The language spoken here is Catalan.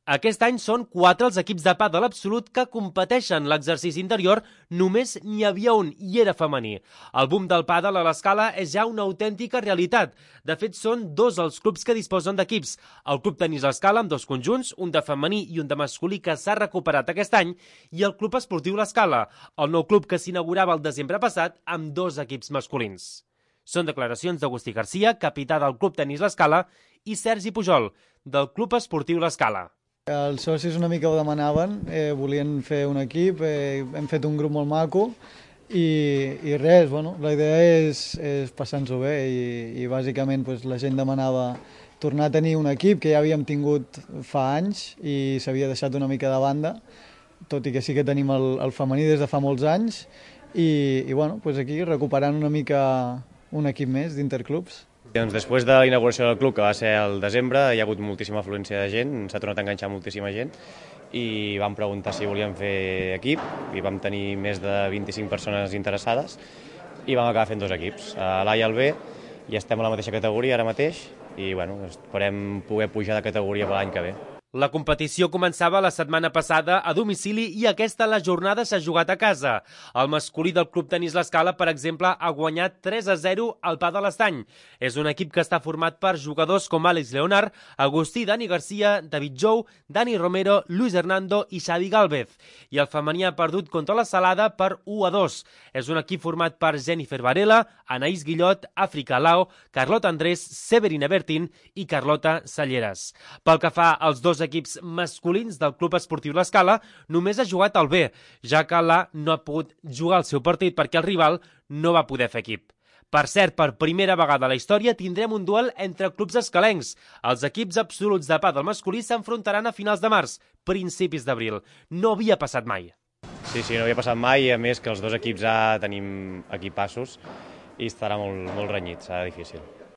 Aquest any són 4 els equips de pàdel absolut que competeixen. L'exercici interior només n'hi havia un i era femení. El boom del pàdel a l'Escala és ja una autèntica realitat. De fet, són 2 els clubs que disposen d'equips. El Club Tenis l'Escala amb 2 conjunts, un de femení i un de masculí que s'ha recuperat aquest any, i el Club Esportiu l'Escala, el nou club que s'inaugurava el desembre passat amb 2 equips masculins. Són declaracions d'Agustí Garcia, capità del Club Tenis l'Escala, i Sergi Pujol, del Club Esportiu l'Escala. Els socis una mica ho demanaven, volien fer un equip, hem fet un grup molt maco i res, bueno, la idea és passar-nos-ho bé i bàsicament la gent demanava tornar a tenir un equip que ja havíem tingut fa anys i s'havia deixat una mica de banda, tot i que sí que tenim el femení des de fa molts anys i bueno, aquí recuperant una mica un equip més d'interclubs. Doncs després de la inauguració del club, que va ser al desembre, hi ha hagut moltíssima afluència de gent, s'ha tornat a enganxar moltíssima gent i vam preguntar si volíem fer equip i vam tenir més de 25 persones interessades i vam acabar fent 2 equips, l'A i el B, i estem a la mateixa categoria ara mateix i bueno, esperem poder pujar de categoria per l'any que ve. La competició començava la setmana passada a domicili i aquesta la jornada s'ha jugat a casa. El masculí del Club Tenis l'Escala, per exemple, ha guanyat 3-0 al Pàdel Estany. És un equip que està format per jugadors com Àlex Leonard, Agustí Dani Garcia, David Jou, Dani Romero, Luis Hernando i Xavi Gálvez. I el femení ha perdut contra la Salada per 1-2. És un equip format per Jennifer Varela, Anaïs Guillot, Àfrica Lao, Carlota Andrés, Severina Bertin i Carlota Salleres. Pel que fa als 2 equips masculins del Club Esportiu l'Escala, només ha jugat el B, ja que l'A no ha pogut jugar el seu partit perquè el rival no va poder fer equip. Per cert, per primera vegada a la història tindrem un duel entre clubs escalencs. Els equips absoluts de pàdel masculí s'enfrontaran a finals de març, principis d'abril. No havia passat mai. Sí, no havia passat mai, a més que els 2 equips A tenim equipassos i estarà molt renyit, serà difícil.